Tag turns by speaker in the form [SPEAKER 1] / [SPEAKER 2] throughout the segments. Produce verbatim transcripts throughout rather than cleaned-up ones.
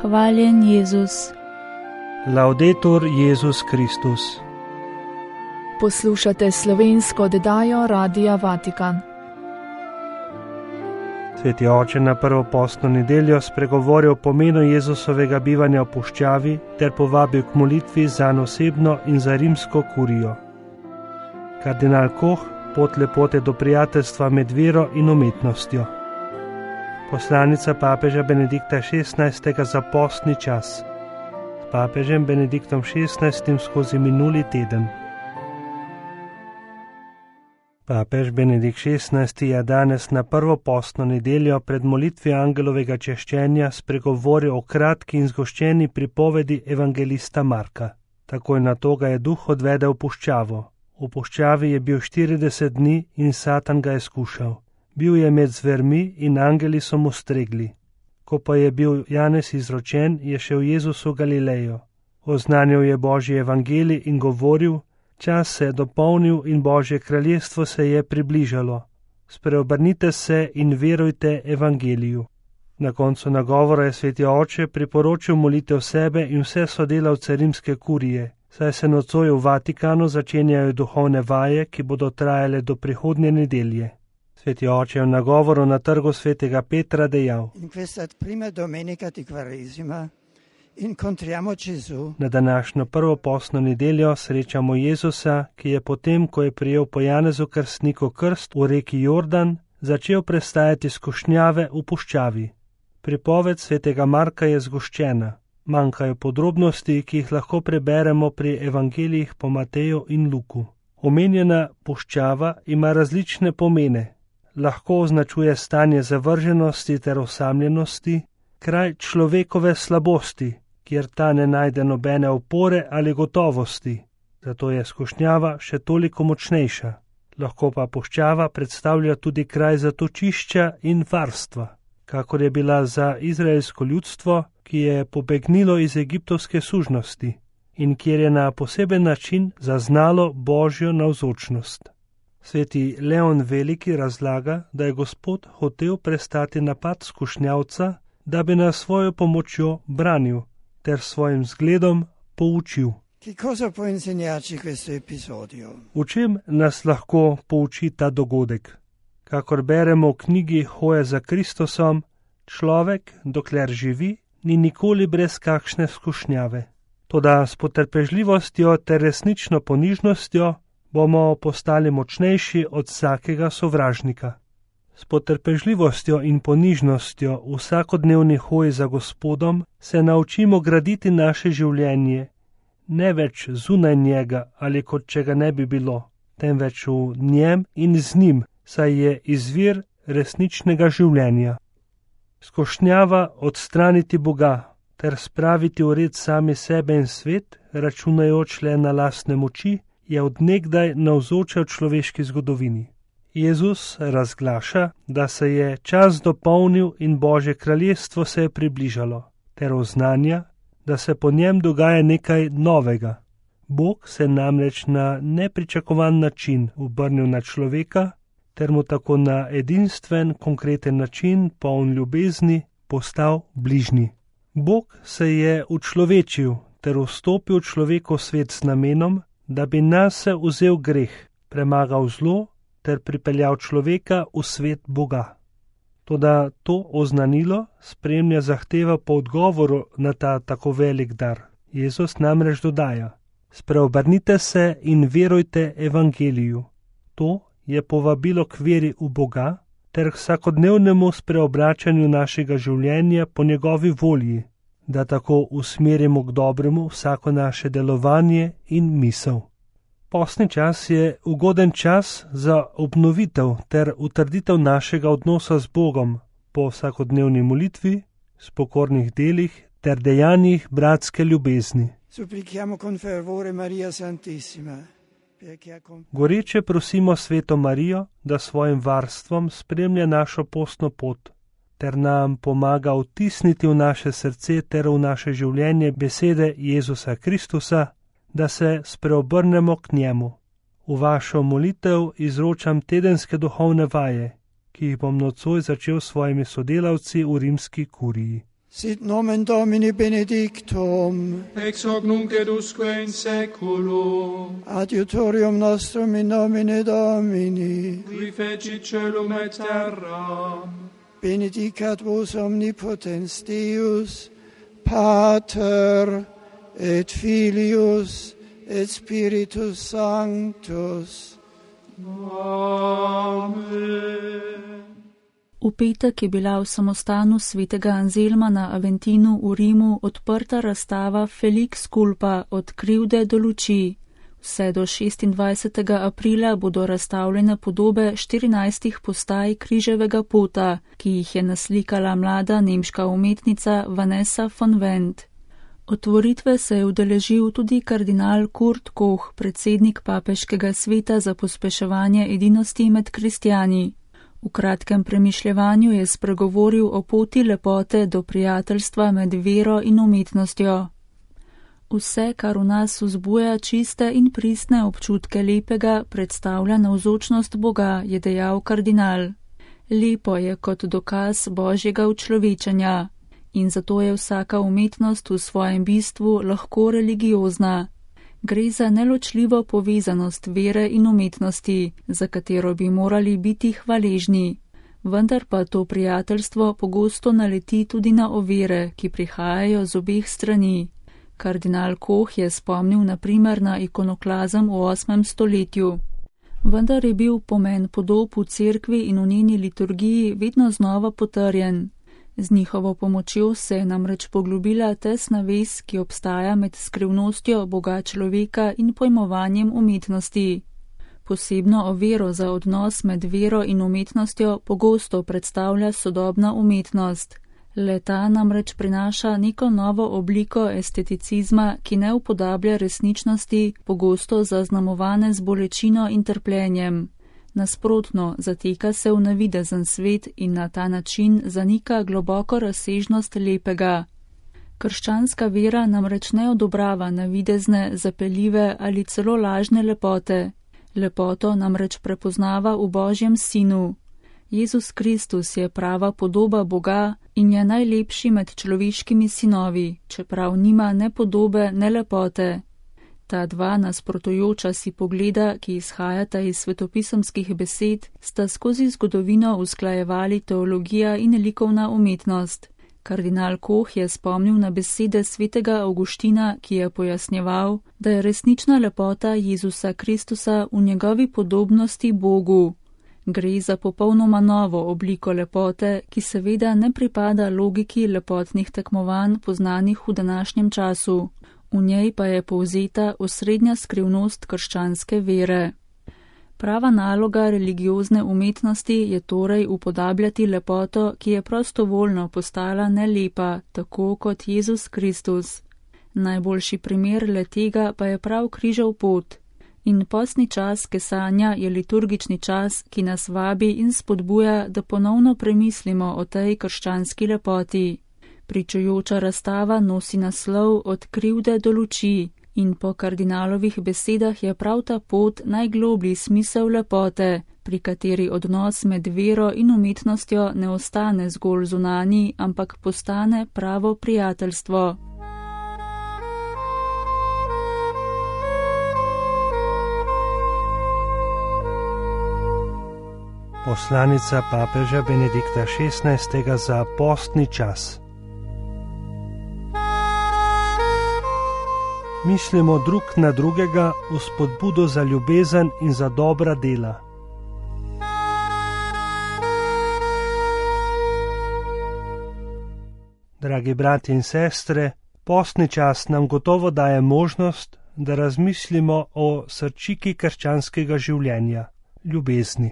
[SPEAKER 1] Hvaljen Jezus.
[SPEAKER 2] Laudetur Jezus Kristus.
[SPEAKER 3] Poslušate slovensko oddajo Radia Vatikan.
[SPEAKER 2] Sveti oče na prvo postno nedeljo spregovoril o pomenu Jezusovega bivanja v puščavi ter povabil k molitvi zanj osebno in za rimsko kurijo. Kardinal Koh, pot lepote do prijateljstva med vero in umetnostjo. Poslanica papeža Benedikta šestnajstega za postni čas. S papežem Benediktom šestnajstim skozi minuli teden. Papež Benedikt šestnajsti je danes na prvo postno nedeljo pred molitvijo angelovega češčenja spregovoril o kratki in zgoščeni pripovedi evangelista Marka. Takoj nato ga je duh odvedel v puščavo. V puščavi je bil štirideset dni in Satan ga je skušal. Bil je med zvermi in angeli so mu stregli. Ko pa je bil Janez izročen, je šel Jezus v Galilejo. Oznanil je Božji evangelij in govoril: čas se je dopolnil in Božje kraljestvo se je približalo. Spreobrnite se in verujte evangeliju. Na koncu nagovora je sveti oče priporočil molitev sebe in vse sodelavce rimske kurije, saj se nocoj v Vatikanu začenjajo duhovne vaje, ki bodo trajale do prihodnje nedelje. Sveti oče je v nagovoru na trgu svetega Petra dejal: na današnjo prvo postno nedeljo srečamo Jezusa, ki je potem, ko je prijel po Janezu krstniku krst v reki Jordan, začel prestajati skušnjave v puščavi. Pripoved svetega Marka je zgoščena. Manjkajo podrobnosti, ki jih lahko preberemo pri evangelijih po Mateju in Luku. Omenjena puščava ima različne pomene. Lahko označuje stanje zavrženosti ter osamljenosti, kraj človekove slabosti, kjer ta ne najde nobene opore ali gotovosti. Zato je skušnjava še toliko močnejša. Lahko pa puščava predstavlja tudi kraj zatočišča in varstva, kakor je bila za izraelsko ljudstvo, ki je pobegnilo iz egiptovske sužnosti in kjer je na poseben način zaznalo Božjo navzočnost. Sveti Leon Veliki razlaga, da je Gospod hotel prestati napad skušnjavca, da bi nas svojo pomočjo branil ter svojim zgledom poučil. V čem nas lahko pouči ta dogodek? Kakor beremo v knjigi Hoja za Kristusom, človek, dokler živi, ni nikoli brez kakšne skušnjave. Toda s potrpežljivostjo ter resnično ponižnostjo bomo postali močnejši od vsakega sovražnika. S potrpežljivostjo in ponižnostjo v vsakodnevni hoji za Gospodom se naučimo graditi naše življenje, ne več zunaj njega ali kot če ga ne bi bilo, temveč v njem in z njim, saj je izvir resničnega življenja. Skušnjava odstraniti Boga ter spraviti v red sami sebe in svet, računajoč le na lastne moči, je od nekdaj navzoča v človeški zgodovini. Jezus razglaša, da se je čas dopolnil in Božje kraljestvo se je približalo, ter oznanja, da se po njem dogaja nekaj novega. Bog se namreč na nepričakovan način obrnil na človeka, ter mu tako na edinstven, konkreten način, poln ljubezni, postal bližnji. Bog se je učlovečil ter vstopil v človekov svet z namenom, da bi nase vzel greh, premagal zlo ter pripeljal človeka v svet Boga. Toda to oznanilo spremlja zahteva po odgovoru na ta tako velik dar. Jezus namreč dodaja: spreobrnite se in verujte evangeliju. To je povabilo k veri v Boga ter k vsakodnevnemu spreobračanju našega življenja po njegovi volji, da tako usmerimo k dobremu vsako naše delovanje in misel. Postni čas je ugoden čas za obnovitev ter utrditev našega odnosa z Bogom po vsakodnevni molitvi, s pokornih delih ter dejanjih bratske ljubezni. Goreče prosimo Sveto Marijo, da svojim varstvom spremlja našo postno pot ter nam pomaga vtisniti v naše srce ter v naše življenje besede Jezusa Kristusa, da se spreobrnemo k njemu. V vašo molitev izročam tedenske duhovne vaje, ki jih bom nocoj začel s svojimi sodelavci v rimski kuriji.
[SPEAKER 1] Sit nomen Domini benedictum,
[SPEAKER 4] ex hoc nunc et usque in saeculum,
[SPEAKER 1] adiutorium nostrum in nomine Domini,
[SPEAKER 4] qui fecit caelum et terram,
[SPEAKER 1] benedicat vos omnipotens Deus, Pater et Filius et Spiritus Sanctus.
[SPEAKER 4] Amen.
[SPEAKER 3] V petek je bila v samostanu svetega Anzelma na Aventinu v Rimu odprta razstava Felix Culpa od krivde do luči. Vse do šestindvajsetega aprila bodo razstavljene podobe štirinajstih postaj križevega pota, ki jih je naslikala mlada nemška umetnica Vanessa von Wendt. Otvoritve se je udeležil tudi kardinal Kurt Koch, predsednik papeškega sveta za pospeševanje edinosti med kristjani. V kratkem premišljevanju je spregovoril o poti lepote do prijateljstva med vero in umetnostjo. Vse, kar v nas vzbuja čiste in pristne občutke lepega, predstavlja navzočnost Boga, je dejal kardinal. Lepo je kot dokaz božjega učlovečenja in zato je vsaka umetnost v svojem bistvu lahko religiozna. Gre za neločljivo povezanost vere in umetnosti, za katero bi morali biti hvaležni. Vendar pa to prijateljstvo pogosto naleti tudi na ovire, ki prihajajo z obeh strani. Kardinal Koch je spomnil na primer na ikonoklazem v osmem stoletju. Vendar je bil pomen podob v cerkvi in v njeni liturgiji vedno znova potrjen. Z njihovo pomočjo se je namreč poglobila tesna vez, ki obstaja med skrivnostjo Boga človeka in pojmovanjem umetnosti. Posebno oviro za odnos med vero in umetnostjo pogosto predstavlja sodobna umetnost. Le-ta namreč prinaša neko novo obliko esteticizma, ki ne upodablja resničnosti, pogosto zaznamovane z bolečino in trpljenjem. Nasprotno, zateka se v navidezen svet in na ta način zanika globoko razsežnost lepega. Krščanska vera namreč ne odobrava navidezne, zapeljive ali celo lažne lepote. Lepoto namreč prepoznava v Božjem sinu. Jezus Kristus je prava podoba Boga in je najlepši med človeškimi sinovi, čeprav nima ne podobe, ne lepote. Ta dva nasprotujoča si pogleda, ki izhajata iz svetopisemskih besed, sta skozi zgodovino usklajevali teologija in likovna umetnost. Kardinal Koch je spomnil na besede svetega Avguština, ki je pojasnjeval, da je resnična lepota Jezusa Kristusa v njegovi podobnosti Bogu. Gre za popolnoma novo obliko lepote, ki seveda ne pripada logiki lepotnih tekmovanj poznanih v današnjem času. V njej pa je povzeta osrednja skrivnost krščanske vere. Prava naloga religiozne umetnosti je torej upodabljati lepoto, ki je prostovoljno postala nelepa, tako kot Jezus Kristus. Najboljši primer le-tega pa je prav križev pot. In postni čas kesanja je liturgični čas, ki nas vabi in spodbuja, da ponovno premislimo o tej krščanski lepoti. Pričujoča razstava nosi naslov Od krivde do luči in po kardinalovih besedah je prav ta pot najgloblji smisel lepote, pri kateri odnos med vero in umetnostjo ne ostane zgolj zunanji, ampak postane pravo prijateljstvo.
[SPEAKER 2] Poslanica papeža Benedikta šestnajstega za postni čas. Mislimo drug na drugega v spodbudo za ljubezen in za dobra dela. Dragi brati in sestre, postni čas nam gotovo daje možnost, da razmislimo o srčiki krščanskega življenja, ljubezni.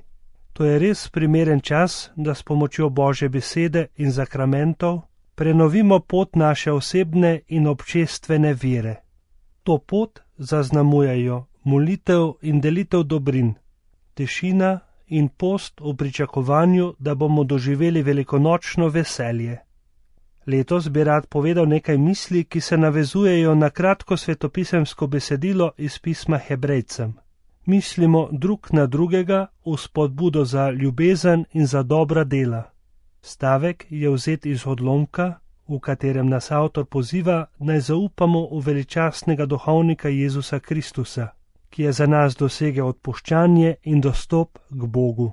[SPEAKER 2] To je res primeren čas, da s pomočjo Božje besede in zakramentov prenovimo pot naše osebne in občestvene vere. To pot zaznamujejo molitev in delitev dobrin, tišina in post v pričakovanju, da bomo doživeli velikonočno veselje. Letos bi rad povedal nekaj misli, ki se navezujejo na kratko svetopisemsko besedilo iz pisma Hebrejcem. Mislimo drug na drugega v spodbudo za ljubezen in za dobra dela. Stavek je vzet iz odlomka v katerem nas avtor poziva, naj zaupamo v veličastnega duhovnika Jezusa Kristusa, ki je za nas dosegel odpuščanje in dostop k Bogu.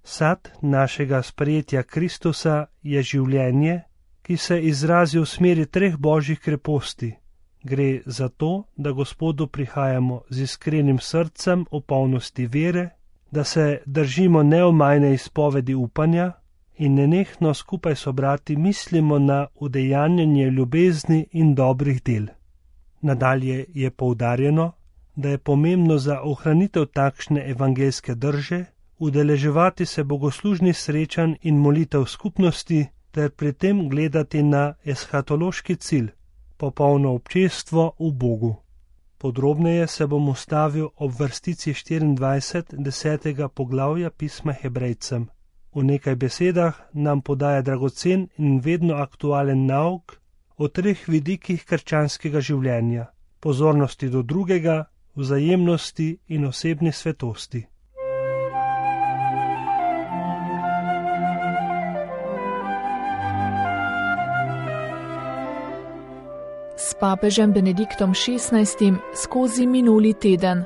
[SPEAKER 2] Sad našega sprejetja Kristusa je življenje, ki se izrazi v smeri treh božjih kreposti. Gre za to, da Gospodu prihajamo z iskrenim srcem v polnosti vere, da se držimo neomajne izpovedi upanja in nenehno skupaj s brati mislimo na udejanjanje ljubezni in dobrih del. Nadalje je poudarjeno, da je pomembno za ohranitev takšne evangeljske drže udeleževati se bogoslužnih srečanj in molitev skupnosti ter pri tem gledati na eshatološki cilj, popolno občestvo v Bogu. Podrobneje se bom ustavil ob vrstici štiriindvajset desetega poglavja pisma Hebrejcem. V nekaj besedah nam podaja dragocen in vedno aktualen nauk o treh vidikih krščanskega življenja: pozornosti do drugega, vzajemnosti in osebni svetosti.
[SPEAKER 5] S papežem Benediktom šestnajstim skozi minuli teden.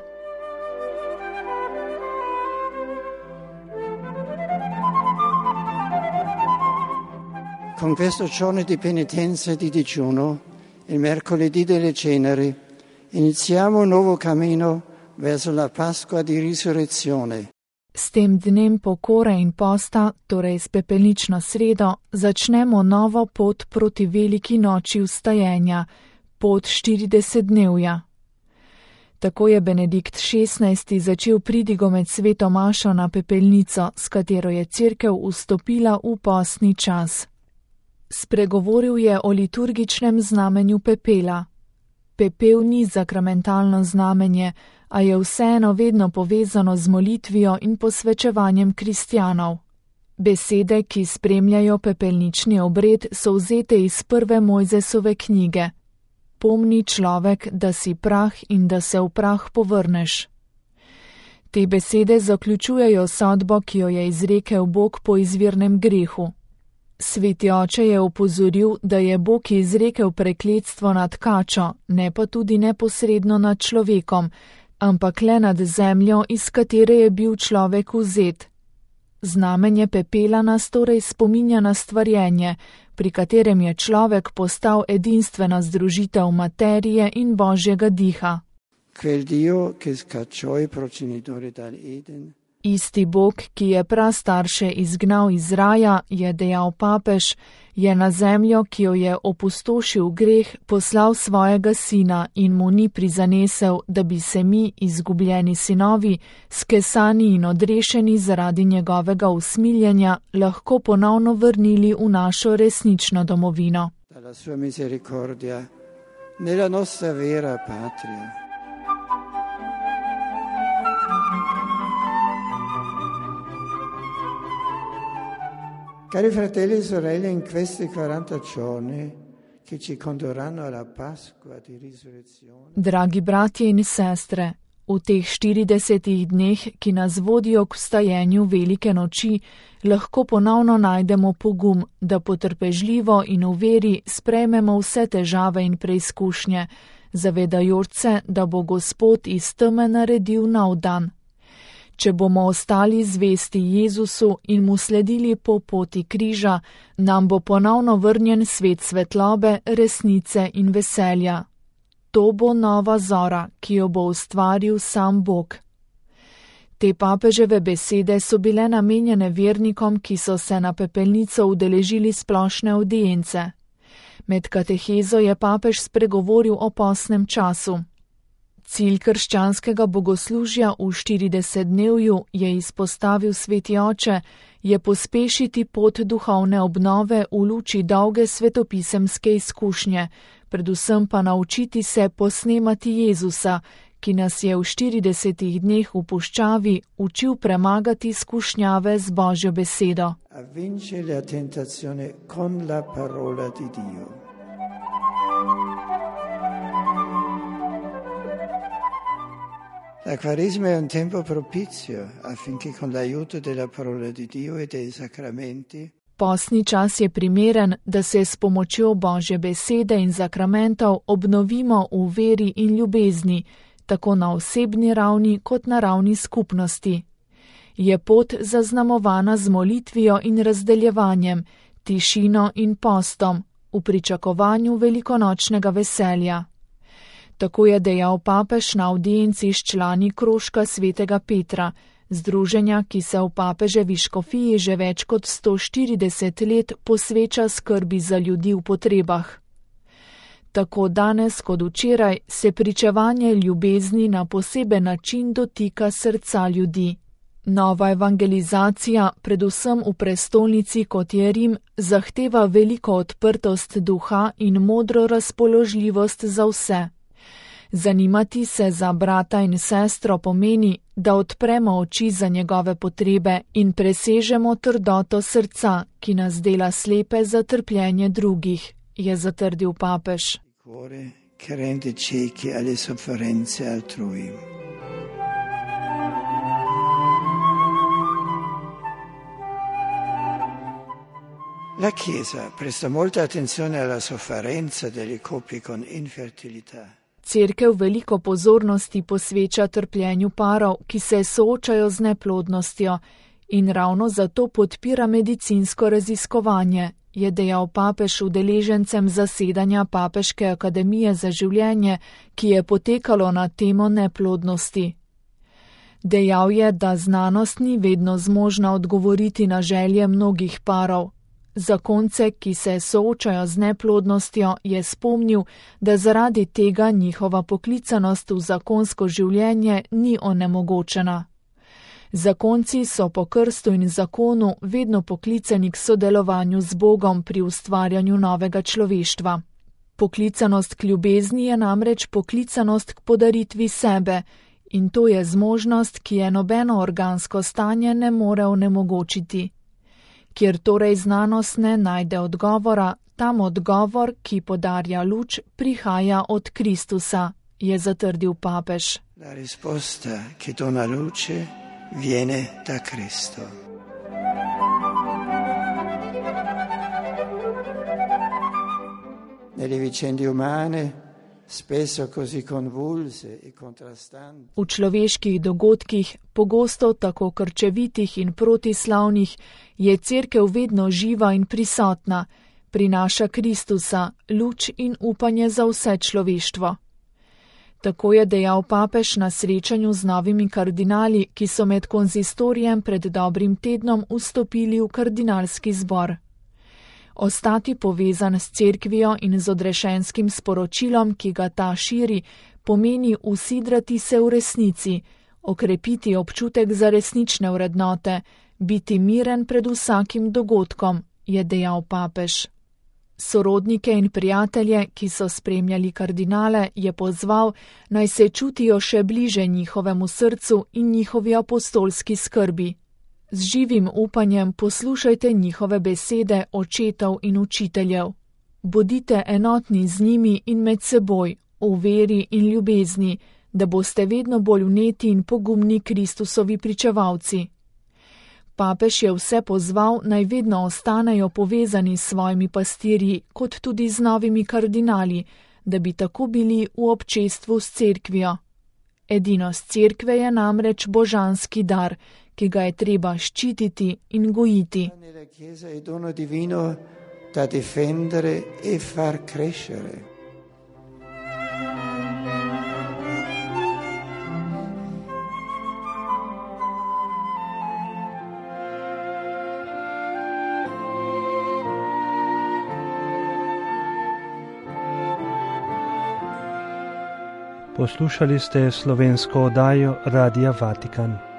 [SPEAKER 1] Con questo giorno di penitenza e di digiuno, il mercoledì delle ceneri, iniziamo un nuovo cammino verso la Pasqua di risurrezione.
[SPEAKER 5] S tem dnem pokore in posta, torej s pepelnično sredo, začnemo novo pot proti veliki noči vstajenja, pot štiridesetdnevja. Tako je Benedikt šestnajsti začel pridigo med sveto mašo na pepelnico, s katero je cerkev vstopila v postni čas. Spregovoril je o liturgičnem znamenju pepela. Pepel ni zakramentalno znamenje, a je vseeno vedno povezano z molitvijo in posvečevanjem kristjanov. Besede, ki spremljajo pepelnični obred, so vzete iz prve Mojzesove knjige. Pomni človek, da si prah in da se v prah povrneš. Te besede zaključujejo sodbo, ki jo je izrekel Bog po izvirnem grehu. Sveti oče je opozoril, da je Bog izrekel prekletstvo nad kačo, ne pa tudi neposredno nad človekom, ampak le nad zemljo, iz katere je bil človek vzet. Znamenje pepela nas torej spominja na stvarjenje, pri katerem je človek postal edinstvena združitev materije in božjega diha.
[SPEAKER 1] Quel Dio che scacciò i progenitori dal Eden.
[SPEAKER 5] Isti Bog, ki je prastarše izgnal iz raja, je dejal papež, je na zemljo, ki jo je opustošil greh, poslal svojega sina in mu ni prizanesel, da bi se mi, izgubljeni sinovi, skesani in odrešeni zaradi njegovega usmiljenja, lahko ponovno vrnili v našo resnično domovino.
[SPEAKER 1] Dalla sua misericordia, nella nostra vera patria. Cari fratelli e sorelle, in questi quaranta giorni che ci condurranno alla Pasqua di risurrezione.
[SPEAKER 5] Dragi bratje in sestre, v teh štiridesetih dneh, ki nas vodijo k vstajenju velike noči, lahko ponovno najdemo pogum, da potrpežljivo in v veri sprejmemo vse težave in preizkušnje, zavedajoč se, da bo Gospod iz teme naredil nov dan. Če bomo ostali zvesti Jezusu in mu sledili po poti križa, nam bo ponovno vrnjen svet svetlobe, resnice in veselja. To bo nova zora, ki jo bo ustvaril sam Bog. Te papeževe besede so bile namenjene vernikom, ki so se na pepelnico udeležili splošne avdience. Med katehezo je papež spregovoril o postnem času. Cilj krščanskega bogoslužja v štiridesetdnevju, je izpostavil sveti oče, je pospešiti pot duhovne obnove v luči dolge svetopisemske izkušnje, predvsem pa naučiti se posnemati Jezusa, ki nas je v štiridesetih dneh v puščavi učil premagati skušnjave z Božjo besedo.
[SPEAKER 1] A vincere la tentazione con la parola di Dio. La Quaresima è un tempo propizio affinché con l'aiuto della parola di Dio e dei sacramenti
[SPEAKER 5] Postni čas je primeren, da se s pomočjo Božje besede in zakramentov obnovimo v veri in ljubezni, tako na osebni ravni kot na ravni skupnosti. Je pot zaznamovana z molitvijo in razdeljevanjem, tišino in postom, v pričakovanju velikonočnega veselja. Tako je dejal papež na avdienci s člani krožka svetega Petra, združenja, ki se v papeževi škofiji že več kot sto štirideset let posveča skrbi za ljudi v potrebah. Tako danes kot včeraj se pričevanje ljubezni na poseben način dotika srca ljudi. Nova evangelizacija, predvsem v prestolnici kot je Rim, zahteva veliko odprtost duha in modro razpoložljivost za vse. Zanimati se za brata in sestro pomeni, da odpremo oči za njegove potrebe in presežemo trdoto srca, ki nas dela slepe za trpljenje drugih, je zatrdil papež.
[SPEAKER 1] La Chiesa presta molta attenzione alla sofferenza delle coppie con infertilità.
[SPEAKER 5] Cerkev veliko pozornosti posveča trpljenju parov, ki se soočajo z neplodnostjo, in ravno zato podpira medicinsko raziskovanje, je dejal papež udeležencem zasedanja Papeške akademije za življenje, ki je potekalo na temo neplodnosti. Dejal je, da znanost ni vedno zmožna odgovoriti na želje mnogih parov. Zakonce, ki se soočajo z neplodnostjo, je spomnil, da zaradi tega njihova poklicanost v zakonsko življenje ni onemogočena. Zakonci so po krstu in zakonu vedno poklicani k sodelovanju z Bogom pri ustvarjanju novega človeštva. Poklicanost k ljubezni je namreč poklicanost k podaritvi sebe, in to je zmožnost, ki je nobeno organsko stanje ne more onemogočiti. Kjer torej znanost ne najde odgovora, tam odgovor, ki podarja luč, prihaja od Kristusa, je zatrdil papež.
[SPEAKER 1] La risposta che dona luce viene da Cristo. Nelle vicende umane, spesso così convulse e contrastanti.
[SPEAKER 5] V človeških dogodkih, pogosto tako krčevitih in protislavnih, je cerkev vedno živa in prisotna, prinaša Kristusa, luč in upanje za vse človeštvo. Tako je dejal papež na srečanju z novimi kardinali, ki so med konzistorijem pred dobrim tednom vstopili v kardinalski zbor. Ostati povezan s cerkvijo in z odrešenskim sporočilom, ki ga ta širi, pomeni usidrati se v resnici, okrepiti občutek za resnične vrednote, biti miren pred vsakim dogodkom, je dejal papež. Sorodnike in prijatelje, ki so spremljali kardinale, je pozval, naj se čutijo še bliže njihovemu srcu in njihovi apostolski skrbi. Z živim upanjem poslušajte njihove besede očetov in učiteljev. Bodite enotni z njimi in med seboj, v veri in ljubezni, da boste vedno bolj vneti in pogumni Kristusovi pričevalci. Papež je vse pozval, naj vedno ostanejo povezani s svojimi pastirji, kot tudi z novimi kardinali, da bi tako bili v občestvu s cerkvijo. Edinost cerkve je namreč božanski dar, ki ga je treba ščititi in gojiti.
[SPEAKER 1] Nella Chiesa è dono divino da difendere e far crescere.
[SPEAKER 2] Poslušali ste slovensko oddajo Radia Vatikan.